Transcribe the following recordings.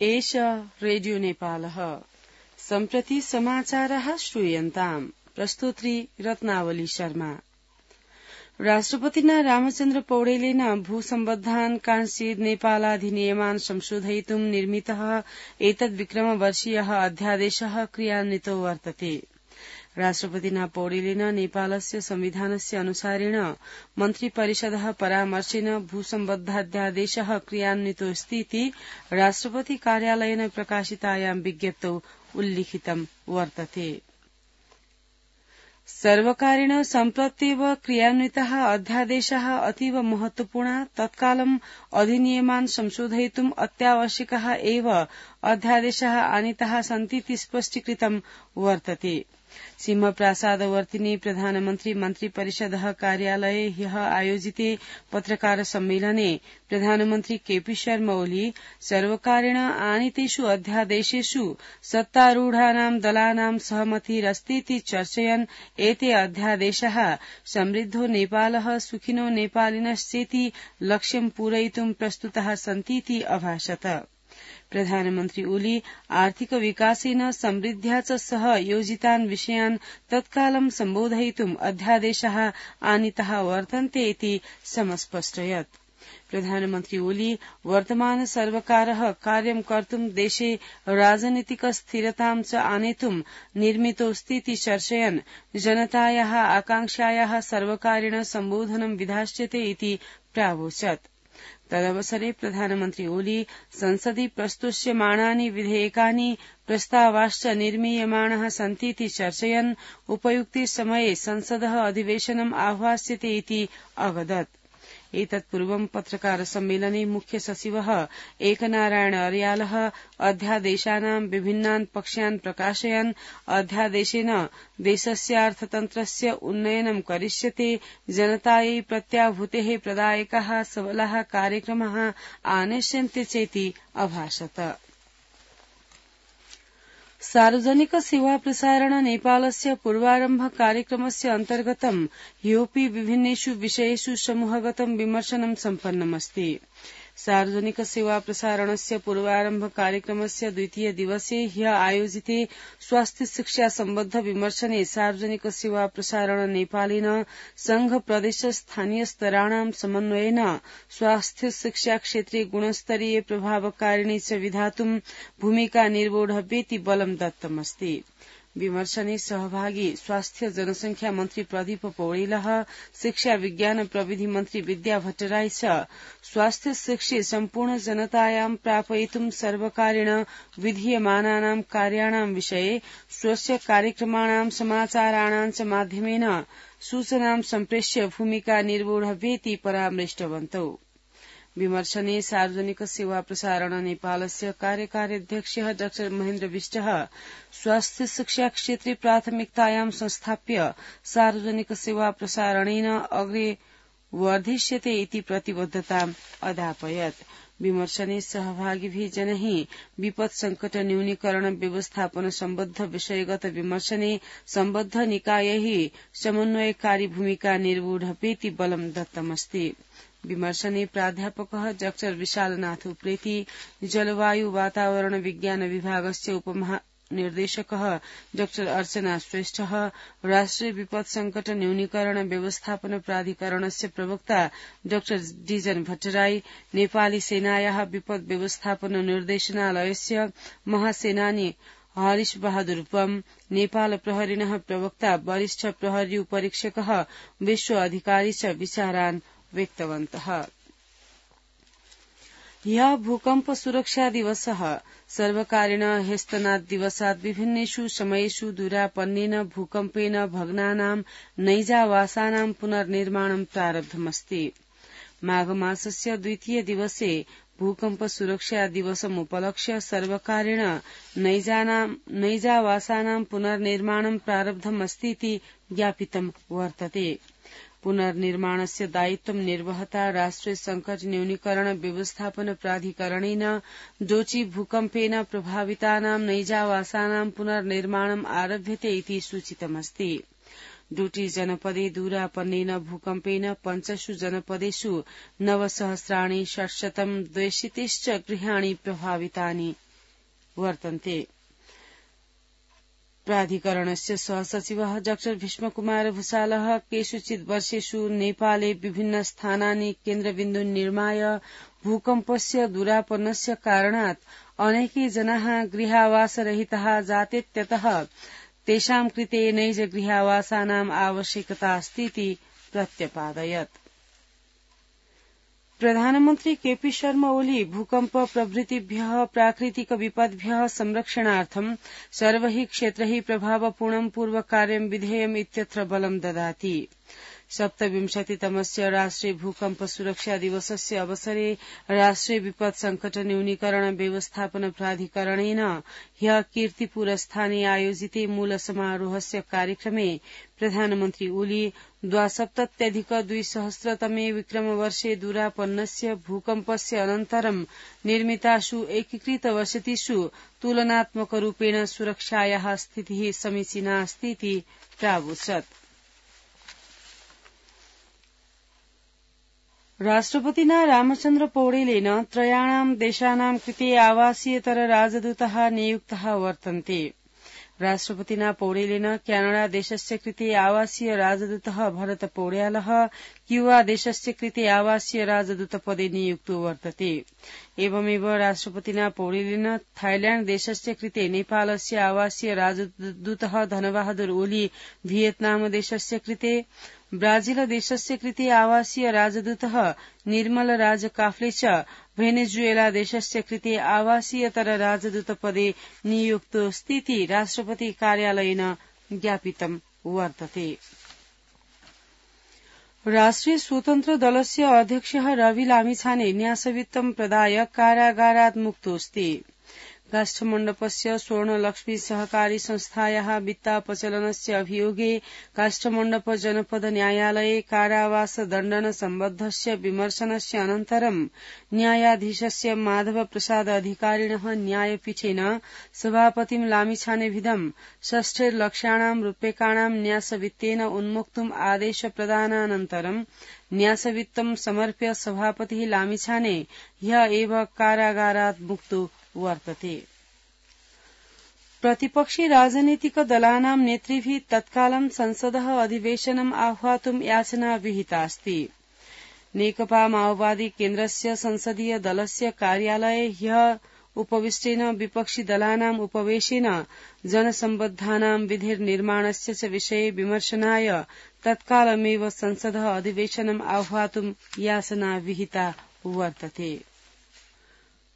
एष रेडियो नेपालः सम्प्रति समाचारः श्रूयन्ताम् प्रस्तुत्री रत्नावली शर्मा। राष्ट्रपतिना रामचन्द्र पौडेलेन भूसम्बद्धान् कांश्चित् नेपालाधिनियमान् संशोधयितुं निर्मितः एतद्विक्रमवर्षीयः अध्यादेशः क्रियान्वितो वर्तते। राष्ट्रपतिना पौडेलेन नेपालस्य संविधानस्य अनुसारेण मन्त्रिपरिषदः परामर्शेन भूसम्बद्धाध्यादेशः क्रियान्वितोऽस्तीति राष्ट्रपति कार्यालयेन प्रकाशितायां विज्ञप्तौ उल्लिखितं वर्तते। सर्वकारेण सम्प्रत्येव क्रियान्वितः अध्यादेशः अतीव महत्वपूर्णः तत्कालम् अधिनियमान् संशोधयितुम् अत्यावश्यकः एव अध्यादेशः आनीताः सन्तीति स्पष्टीकृतं वर्तते। सिंहप्रासादवर्तिनि प्रधानमन्त्री मन्त्रिपरिषदः कार्यालये ह्यः आयोजिते पत्रकार सम्मेलने प्रधानमन्त्री केपी शर्मा ओली सर्वकारेण आनीतेषु अध्यादेशेषु सत्तारूढानां दलानां सहमतिरस्तीति चर्चयन् एते अध्यादेशाः समृद्धो नेपालः सुखिनो नेपालिनश्चेति लक्ष्यं पूरयितुं प्रस्तुताः सन्तीति अभाषत। प्रधानमन्त्री ओली आर्थिक विकासेन समृद्ध्या च सह योजितान् विषयान् तत्कालं सम्बोधयितुम् अध्यादेशाः आनीताः वर्तन्ते इति समस्पष्टयत्। प्रधानमन्त्री ओली वर्तमान सर्वकारः कार्यं कर्तुं देशे राजनीतिक स्थिरतां च आनेतुं निर्मितोऽस्तीति चर्चयन् जनतायाः आकांक्षायाः सर्वकारेण सम्बोधनं विधास्यते इति प्रावोचत्। तदवसरे प्रधानमन्त्री ओली संसदि प्रस्तुष्यमाणानि विधेयकानि प्रस्तावाश्च निर्मीयमाणाः सन्तीति चर्चयन् उपयुक्ते समये संसदः अधिवेशनम् आह्वास्यते इति अवदत्। एतत्पूर्वं पत्रकार सम्मेलने मुख्य सचिवः एकनारायण अर्यालः अध्यादेशानां विभिन्नान् पक्षान् प्रकाशयन् अध्यादेशेन देशस्यार्थतन्त्रस्य उन्नयनं करिष्यते जनतायै प्रत्याभूतेः प्रदायकाः सबलाः कार्यक्रमाः आनेष्यन्ते चेति अभाषत। सार्वजनिक सेवा प्रसारण नेपालस्य पूर्वारम्भ कार्यक्रमस्य अन्तर्गतं ह्योपि विभिन्नेषु विषयेषु समूहगतं विमर्शनं सम्पन्नमस्ति। सार्वजनिक सेवा प्रसारणस्य पूर्वारम्भ कार्यक्रमस्य द्वितीय दिवसे ह्यः आयोजिते स्वास्थ्य शिक्षा सम्बद्ध विमर्शने सार्वजनिक सेवा प्रसारण नेपालेन संघ प्रदेश स्थानीय स्तराणां समन्वयेन स्वास्थ्य शिक्षा क्षेत्रे गुणस्तरीय प्रभावकारिणी च विधातुं भूमिका निर्वोढव्येति बलं दत्तमस्ति। विमर्शने सहभागी स्वास्थ्य जनसंख्या मन्त्री प्रदीप पौडेलः शिक्षा विज्ञान प्रविधि मन्त्री विद्या भट्टराई च स्वास्थ्य शिक्षे सम्पूर्ण जनतायां प्रापयितुं सर्वकारेण विधीयमानानां कार्याणां विषये स्वस्य कार्यक्रमाणां समाचाराणां च माध्यमेन सूचनां सम्प्रेष्य भूमिका निर्वोढव्येति परामृष्टवन्तौ। विमर्शने सार्वजनिक सेवा प्रसारण नेपालस्य कार्यकारी अध्यक्षः डा महेन्द्र विष्टः स्वास्थ्य शिक्षा क्षेत्रे प्राथमिकतायां संस्थाप्य सार्वजनिक सेवा प्रसारणेन अग्रे वर्धिष्यते इति प्रतिबद्धताम् अदापयत्। विमर्शने सहभागिभिः जनैः विपद संकट न्यूनीकरण व्यवस्थापन सम्बद्ध विषयगत विमर्शने सम्बद्ध निकायैः समन्वयकारी भूमिका निर्वोढव्येति बलं दत्तमस्ति। विमर्शने प्राध्यापकः डा विशालनाथ उप्रेती जलवायु वातावरण विज्ञान विभागस्य उपमहानिर्देशकः डा अर्चना श्रेष्ठः राष्ट्रिय विपद संकट न्यूनीकरण व्यवस्थापन प्राधिकरणस्य प्रवक्ता डा डीजन भट्टराई नेपाली सेनायाः विपद व्यवस्थापन निर्देशनालयस्य महासेनानी हरीश बहादुर बम नेपाल प्रहरिणः प्रवक्ता वरिष्ठ प्रहरी उपरीक्षकः विश्व अधिकारी च विचारान् व्यक्तवन्तः। ह्यः भूकम्प सुरक्षा दिवसः सर्वकारेण ह्यस्तनात् दिवसात् विभिन्नेषु समयेषु दुरापन्नेन भूकम्पेन भग्नानां नैजावासानां पुनर्निर्माणं प्रारब्धमस्ति। माघमासस्य द्वितीय दिवसे भूकम्प सुरक्षा दिवसमुपलक्ष्य सर्वकारेण नैजावासानां पुनर्निर्माणं प्रारब्धमस्तीति ज्ञापितं वर्तते। पुनर्निर्माणस्य दायित्वं निर्वहता राष्ट्रिय संकट न्यूनीकरण व्यवस्थापन प्राधिकरणेन डोची भूकम्पेन प्रभावितानां नैजावासानां पुनर्निर्माणम् आरभ्यते इति सूचितमस्ति। डोटी जनपदे दूरापन्नेन भूकम्पेन 5 जनपदेषु 9,600 द्वैशितिश्च गृहाणि प्रभावितानि वर्तन्ते। प्राधिकरणस्य सहसचिवः डॉ भीष्मकुमार भूषालः केषुचित् वर्षेषु नेपाले विभिन्न स्थानानि केन्द्रबिन्दुन् निर्माय भूकम्पस्य दूरापन्नस्य कारणात् अनेके जनाः गृहावासरहिताः जातेत्यतः तेषां कृते नैज गृहावासानाम् आवश्यकता अस्तीति प्रत्यपादयत्। प्रधानमन्त्री केपी शर्मा ओली भूकम्प प्रभृतिभ्यः प्राकृतिक विपद्भ्यः संरक्षणार्थं सर्वैः क्षेत्रैः प्रभावपूर्णं पूर्वकार्यं विधेयम् इत्यत्र बलं ददाति। 27तमस्य राष्ट्रिय भूकम्प सुरक्षा दिवसस्य अवसरे राष्ट्रिय विपत् संकट न्यूनीकरण व्यवस्थापन प्राधिकरणेन ह्यः कीर्तिपुरस्थाने आयोजिते मूल समारोहस्य कार्यक्रमे प्रधानमन्त्री ओली 72,200 विक्रमवर्षे दूरापन्नस्य भूकम्पस्य अनन्तरं निर्मितासु एकीकृत वसतिषु तुलनात्मकरूपेण सुरक्षायाः स्थितिः समीचीना अस्तीति प्रावोचत्। राष्ट्रपतिना रामचन्द्र पौडेलेन त्रयाणां देशानां कृते आवासीयतर राजदूतः नियुक्तः वर्तन्ते। राष्ट्रपतिना पौडेलेन क्यानाडा देशस्य कृते आवासीय राजदूतः भरत पौड्यालः क्यूबा देशस्य कृते आवासीय राजदूतपदे नियुक्तो वर्तते। एवमेव राष्ट्रपतिना पौडेलेन थाइल्याण्ड देशस्य कृते नेपालस्य आवासीय राजदूतः धनबहादुर ओली, भियतनाम देशस्य कृते, ब्राजील देशस्य कृते आवासीय राजदूतः निर्मल राज काफ्ले च भेनेजुएला देशस्य कृते आवासीयतर राजदूतपदे नियुक्तोऽस्तीति राष्ट्रपति कार्यालयेन ज्ञापितं वर्तते। राष्ट्रिय स्वतन्त्र दलस्य अध्यक्षः रवि लामिछाने न्यासवित्तं प्रदाय कारागारात् मुक्तोऽस्ति। काष्ठमण्डपस्य स्वर्णलक्ष्मी सहकारी संस्थायाः वित्तापचलनस्य अभियोगे काष्ठमण्डप जनपद न्यायालये कारावासदण्डन सम्बद्धस्य विमर्शनस्य अनन्तरं न्यायाधीशस्य माधव प्रसाद अधिकारिणः न्यायपीठेन सभापतिं लामिछानेभिदं 6 लक्षाणां रूप्यकाणां न्यासवित्तेन उन्मुक्तुम् आदेश प्रदानानन्तरं न्यासवित्तं समर्प्य सभापतिः लामिछाने ह्यः एव कारागारात् मुक्तो वर्तते। प्रतिपक्षी राजनीतिक दलानां नेतृभिः तत्कालं संसदः अधिवेशनम् आह्वातुं याचना विहितास्ति। नेकपा माओवादी केन्द्रस्य संसदीय दलस्य कार्यालये ह्यः उपविष्टेन विपक्षी दलानाम् उपवेशेन जनसम्बद्धानां विधिर्निर्माणस्य च विषये विमर्शनाय तत्कालमेव संसदः अधिवेशनम् आह्वातुं याचना विहिता वर्तते।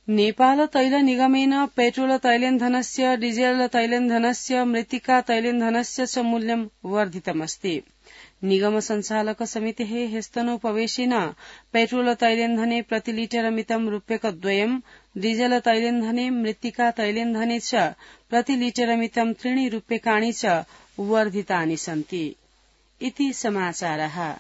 नेपाल तैल निगमेन पेट्रोल तैलेन्धनस्य, डीजेल तैलेन्धनस्य, मृत्तिका तैलेन्धनस्य च मूल्यं वर्धितमस्ति। निगम संचालक समितेः ह्यस्तनोपवेशेन पेट्रोल तैलेन्धने प्रतिलीटरमितं रूप्यकद्वयं, डीजेल तैलेन्धने, मृत्तिका तैलेन्धने च प्रतिलीटरमितं 3 रूप्यकाणि च वर्धितानि सन्ति। इति समाचारः।